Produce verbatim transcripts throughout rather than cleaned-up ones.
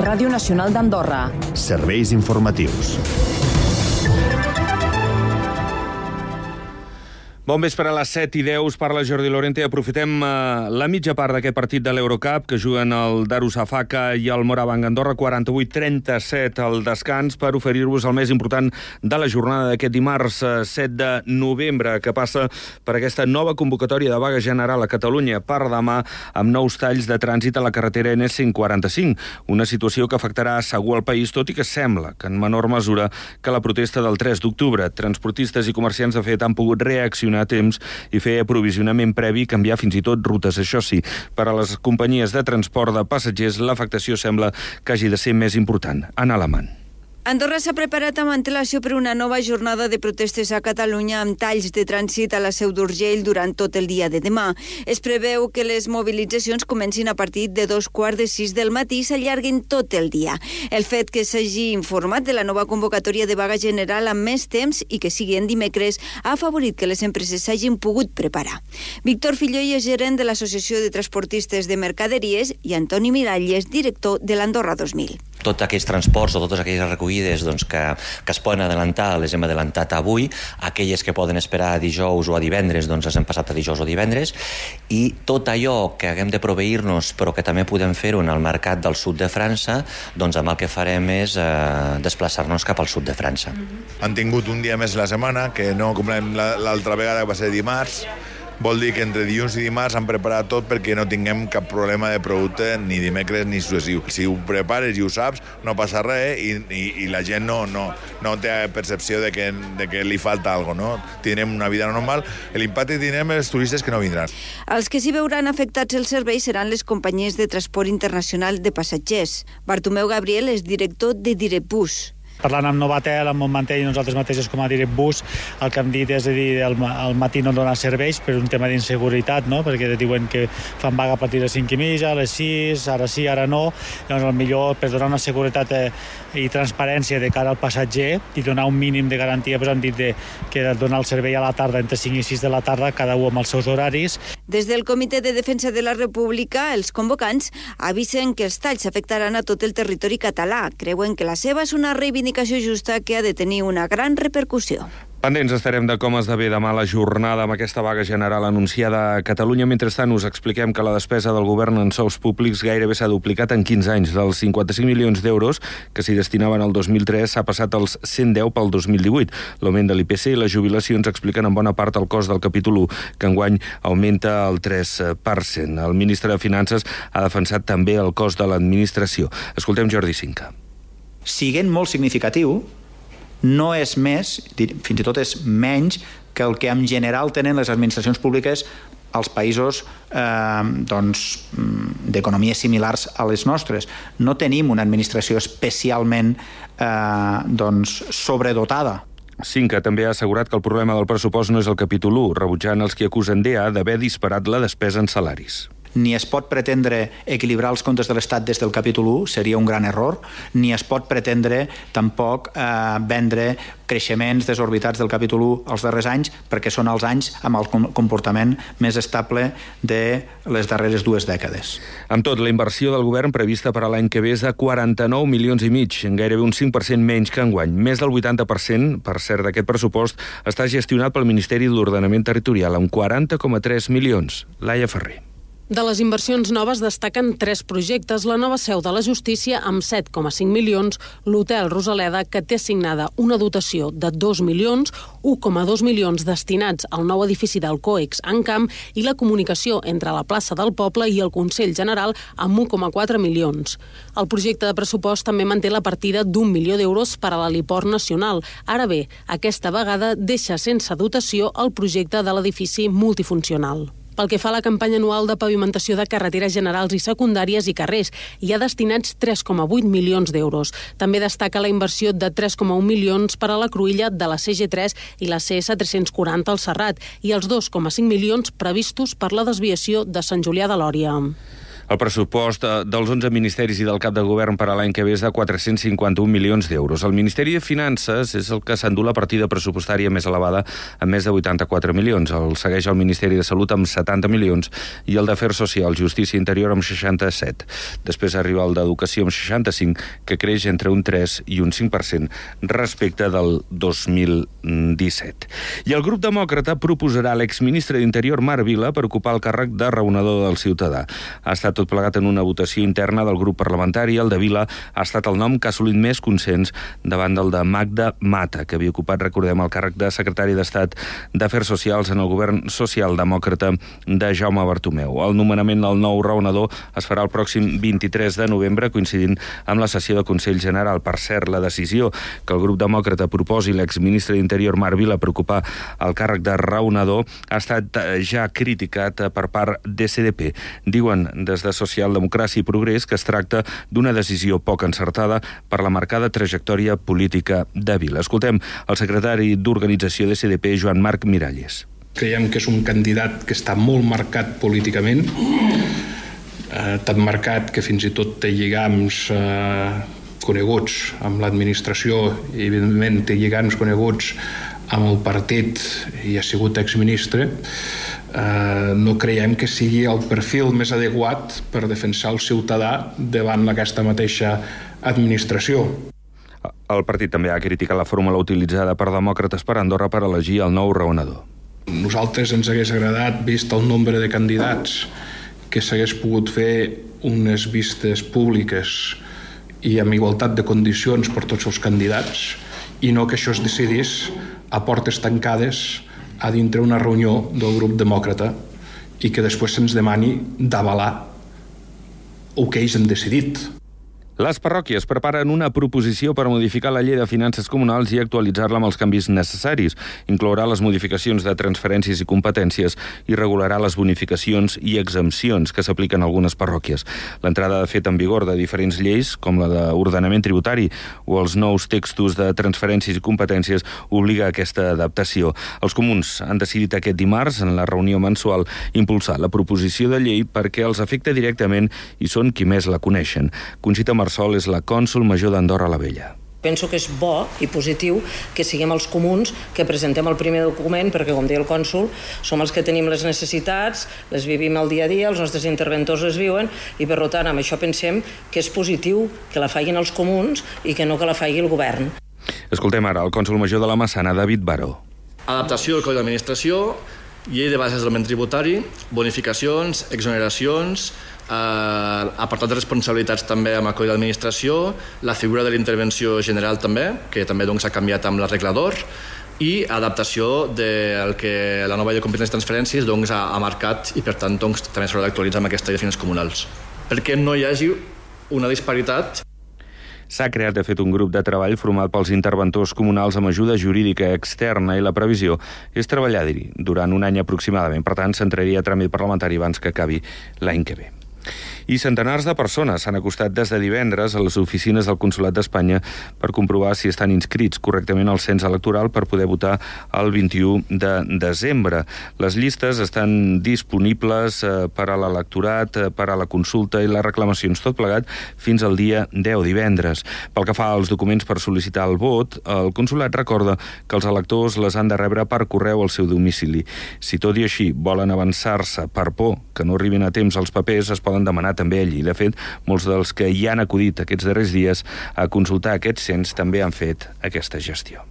Ràdio Nacional d'Andorra. Serveis informatius. Bon vespre, a les set i deu, us parla Jordi Lorente. Aprofitem eh, la mitja part d'aquest partit de l'Eurocup, que juguen el Darusafaka i el Morabanc Andorra, quaranta-vuit trenta-set al descans, per oferir-vos el més important de la jornada d'aquest dimarts eh, set de novembre, que passa per aquesta nova convocatòria de vaga general a Catalunya per demà, amb nous talls de trànsit a la carretera ena cent quaranta-cinc, una situació que afectarà segur al país, tot i que sembla que en menor mesura que la protesta del tres d'octubre. Transportistes i comerciants, de fet, han pogut reaccionar a temps i fer aprovisionament previ i canviar fins i tot rutes. Això sí, per a les companyies de transport de passatgers l'afectació sembla que hagi de ser més important. Anna Alamant. Andorra s'ha preparat amb antelació per una nova jornada de protestes a Catalunya amb talls de trànsit a la Seu d'Urgell durant tot el dia de demà. Es preveu que les mobilitzacions comencin a partir de dos quarts de sis del matí i s'allarguin tot el dia. El fet que s'hagi informat de la nova convocatòria de vaga general amb més temps i que sigui en dimecres ha afavorit que les empreses s'hagin pogut preparar. Víctor Filloy és gerent de l'Associació de Transportistes de Mercaderies i Antoni Miralles, director de l'Andorra dos mil. Tots aquells transports o totes aquelles recollides doncs, que, que es poden adelantar, les hem adelantat avui. Aquelles que poden esperar a dijous o a divendres, doncs les hem passat a dijous o divendres. I tot allò que haguem de proveir-nos, però que també podem fer-ho en el mercat del sud de França, doncs amb el que farem és eh, desplaçar-nos cap al sud de França. Mm-hmm. Han tingut un dia més la setmana, que no com l'altra vegada que va ser dimarts. Vol dir que entre dilluns i dimarts han preparat tot perquè no tinguem cap problema de producte ni dimecres ni successiu. Si ho prepares i ho saps, no passa res i, i, i la gent no, no, no té percepció de que, de que li falta alguna cosa, no? Tindrem una vida normal. L'impacte tindrem els turistes que no vindran. Els que s'hi veuran afectats els serveis seran les companyies de transport internacional de passatgers. Bartomeu Gabriel és director de Direbus. Parlant amb Novatel, amb Montmantell i nosaltres mateixos com a Direbus, el que hem dit és a dir, al, al matí no donar serveis per un tema d'inseguretat, no? Perquè diuen que fan vaga a partir de cinc i mitja, a les sis, ara sí, ara no. Llavors, millor per donar una seguretat eh, i transparència de cara al passatger i donar un mínim de garantia, doncs hem dit de, que donar el servei a la tarda, entre cinc i sis de la tarda, cada un amb els seus horaris. Des del Comitè de Defensa de la República, els convocants avisen que els talls afectaran a tot el territori català. Creuen que la seva és una reivindicació justa que ha de tenir una gran repercussió. Pendents estarem de com esdevé demà la jornada amb aquesta vaga general anunciada a Catalunya. Mentrestant, us expliquem que la despesa del govern en sous públics gairebé s'ha duplicat en quinze anys. Dels cinquanta-cinc milions d'euros que s'hi destinaven el dos mil tres s'ha passat als cent deu pel dos mil divuit. L'augment de l'I P C i les jubilacions expliquen en bona part el cost del capítol u, que enguany augmenta el tres per cent. El ministre de Finances ha defensat també el cost de l'administració. Escoltem Jordi Cinca. Siguent molt significatiu, no és més, fins i tot és menys, que el que en general tenen les administracions públiques als països eh, doncs, d'economies similars a les nostres. No tenim una administració especialment eh, doncs, sobredotada. Cinca també ha assegurat que el problema del pressupost no és el capítol u, rebutjant els que acusen D A d'haver disparat la despesa en salaris. Ni es pot pretendre equilibrar els comptes de l'Estat des del capítol u, seria un gran error, ni es pot pretendre tampoc eh, vendre creixements desorbitats del capítol u els darrers anys, perquè són els anys amb el comportament més estable de les darreres dues dècades. Amb tot, la inversió del govern prevista per a l'any que ve és de quaranta-nou milions i mig, gairebé un cinc per cent menys que enguany. Més del vuitanta per cent, per cert, d'aquest pressupost està gestionat pel Ministeri d'Ordenament Territorial, amb quaranta coma tres milions. Laia Ferrer. De les inversions noves destaquen tres projectes: la nova seu de la Justícia amb set coma cinc milions, l'Hotel Rosaleda, que té assignada una dotació de dos milions, un coma dos milions destinats al nou edifici del COEX en Camp i la comunicació entre la plaça del Poble i el Consell General amb un coma quatre milions. El projecte de pressupost també manté la partida d'un milió d'euros per a l'heliport nacional. Ara bé, aquesta vegada deixa sense dotació el projecte de l'edifici multifuncional. Pel que fa a la campanya anual de pavimentació de carreteres generals i secundàries i carrers, hi ha destinats tres coma vuit milions d'euros. També destaca la inversió de tres coma un milions per a la cruïlla de la C G tres i la C S tres-cents quaranta al Serrat i els dos coma cinc milions previstos per la desviació de Sant Julià de Lòria. El pressupost dels onze ministeris i del cap de govern per a l'any que ve és de quatre-cents cinquanta-un milions d'euros. El Ministeri de Finances és el que s'endú la partida pressupostària més elevada, amb més de vuitanta-quatre milions. El segueix el Ministeri de Salut amb setanta milions i el d'Afers Socials, Justícia i Interior amb seixanta-set. Després arriba el d'Educació amb seixanta-cinc, que creix entre un tres i un cinc per cent respecte del dos mil disset. I el grup demòcrata proposarà l'exministre d'Interior Marc Vila per ocupar el càrrec de raonador del ciutadà. Ha estat tot plegat en una votació interna del grup parlamentari. El de Vila ha estat el nom que ha assolit més consens davant del de Magda Mata, que havia ocupat, recordem, el càrrec de secretari d'Estat d'Afers Socials en el govern socialdemòcrata de Jaume Bartomeu. El nomenament del nou raonador es farà el pròxim vint-i-tres de novembre, coincidint amb la sessió del Consell General. Per cert, la decisió que el grup demòcrata proposi l'exministre d'Interior Marc Vila per ocupar el càrrec de raonador ha estat ja criticat per part d'E C D P. Diuen des de Socialdemocràcia i Progrés que es tracta d'una decisió poc encertada per la marcada trajectòria política de Vila. Escoltem el secretari d'Organització d'E C D P, Joan Marc Miralles. Creiem que és un candidat que està molt marcat políticament, eh, tan marcat que fins i tot té lligams eh, coneguts amb l'administració i, evidentment, té lligams coneguts amb el partit i ha sigut exministre. Uh, no creiem que sigui el perfil més adequat per defensar el ciutadà davant aquesta mateixa administració. El partit també ha criticat la fórmula utilitzada per demòcrates per Andorra per elegir el nou raonador. Nosaltres ens hagués agradat, vist el nombre de candidats, que s'hagués pogut fer unes vistes públiques i amb igualtat de condicions per tots els candidats, i no que això es decidís a portes tancades a dintre una reunió del grup demòcrata i que després se'ns demani d'avalar el que ells han decidit. Les parròquies preparen una proposició per modificar la llei de finances comunals i actualitzar-la amb els canvis necessaris. Inclourà les modificacions de transferències i competències i regularà les bonificacions i exempcions que s'apliquen a algunes parròquies. L'entrada de fet en vigor de diferents lleis, com la d'ordenament tributari o els nous textos de transferències i competències, obliga a aquesta adaptació. Els comuns han decidit aquest dimarts, en la reunió mensual, impulsar la proposició de llei perquè els afecta directament i són qui més la coneixen. Conxita Marsol és la cònsol major d'Andorra la Vella. Penso que és bo i positiu que siguem els comuns que presentem el primer document perquè, com deia el cònsol, som els que tenim les necessitats, les vivim al dia a dia, els nostres interventors les viuen i, per tant, amb això pensem que és positiu que la facin els comuns i que no que la faci el govern. Escoltem ara el cònsol major de la Massana, David Baró. Adaptació del Codi d'Administració, llei de bases d'element tributari, bonificacions, exoneracions, Eh, apartat de responsabilitats també amb el Codi d'Administració, la figura de l'intervenció general també, que també doncs, ha canviat amb l'arreglador, i adaptació del que la nova llei de competències i transferències doncs, ha, ha marcat i per tant doncs, també s'haurà d'actualitzar amb aquesta llei de finances comunals. Perquè no hi hagi una disparitat. S'ha creat, de fet, un grup de treball format pels interventors comunals amb ajuda jurídica externa i la previsió és treballar-hi durant un any aproximadament. Per tant, s'entraria a tràmit parlamentari abans que acabi l'any que ve. I centenars de persones s'han acostat des de divendres a les oficines del Consolat d'Espanya per comprovar si estan inscrits correctament al cens electoral per poder votar el vint-i-u de desembre. Les llistes estan disponibles per a l'electorat, per a la consulta i les reclamacions, tot plegat fins al dia deu, divendres. Pel que fa als documents per sol·licitar el vot, el Consolat recorda que els electors les han de rebre per correu al seu domicili. Si tot i així volen avançar-se per por que no arribin a temps els papers, es poden demanar també allí. De fet, molts dels que hi han acudit aquests darrers dies a consultar aquest cens també han fet aquesta gestió.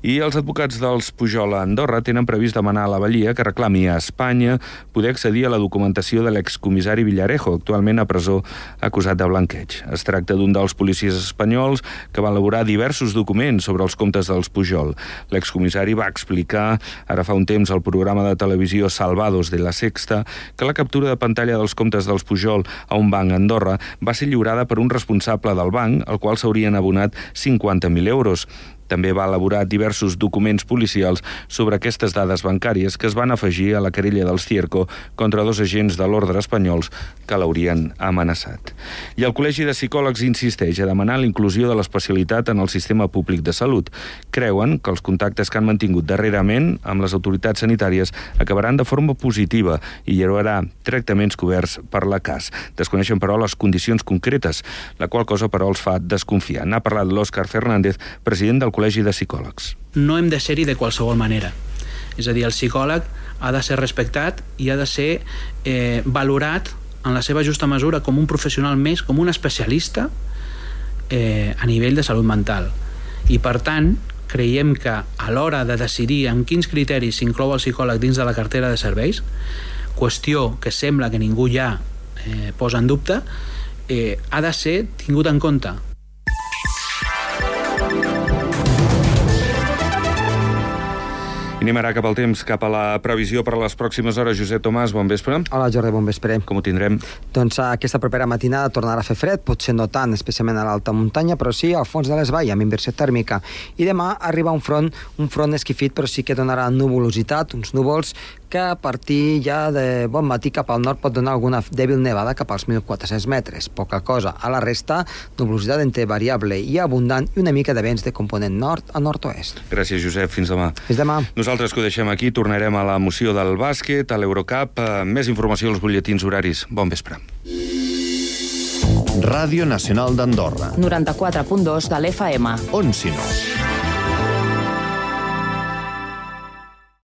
I els advocats dels Pujol a Andorra tenen previst demanar a la Balia que reclami a Espanya poder accedir a la documentació de l'excomissari Villarejo, actualment a presó acusat de blanqueig. Es tracta d'un dels policies espanyols que va elaborar diversos documents sobre els comptes dels Pujol. L'excomissari va explicar ara fa un temps al programa de televisió Salvados de la Sexta que la captura de pantalla dels comptes dels Pujol a un banc a Andorra va ser lliurada per un responsable del banc, al qual s'haurien abonat cinquanta mil euros. També va elaborar diversos documents policials sobre aquestes dades bancàries que es van afegir a la querella dels Cierco contra dos agents de l'ordre espanyols que l'haurien amenaçat. I el Col·legi de Psicòlegs insisteix a demanar la inclusió de l'especialitat en el sistema públic de salut. Creuen que els contactes que han mantingut darrerament amb les autoritats sanitàries acabaran de forma positiva i hi haurà tractaments coberts per la C A S. Desconeixen, però, les condicions concretes, la qual cosa, però, els fa desconfiar. N'ha parlat l'Òscar Fernández, president del Col·legi de Psicòlegs. No hem de ser-hi de qualsevol manera. És a dir, el psicòleg ha de ser respectat i ha de ser eh, valorat en la seva justa mesura com un professional més, com un especialista eh, a nivell de salut mental. I, per tant, creiem que a l'hora de decidir en quins criteris s'inclou el psicòleg dins de la cartera de serveis, qüestió que sembla que ningú ja eh, posa en dubte, eh, ha de ser tingut en compte. I anem ara cap al temps, cap a la previsió per a les pròximes hores. Josep Tomàs, bon vespre. Hola, Jordi, bon vespre. Com ho tindrem? Doncs aquesta propera matinada tornarà a fer fred, potser no tant, especialment a l'alta muntanya, però sí al fons de les valls, amb inversió tèrmica. I demà arriba un front, un front esquifit, però sí que donarà nuvolositat, uns núvols que a partir ja de bon matí cap al nord pot donar alguna dèbil nevada cap als mil quatre-cents metres. Poca cosa. A la resta, nuvolositat entre variable i abundant i una mica de vents de component nord a nord-oest. Gràcies, Josep. Fins demà. Fins demà. Nosaltres que ho deixem aquí, tornarem a l'emoció del bàsquet, a l'Eurocup. Més informació als butlletins horaris. Bon vespre. Ràdio Nacional d'Andorra. noranta-quatre punt dos de l'F M. On si no?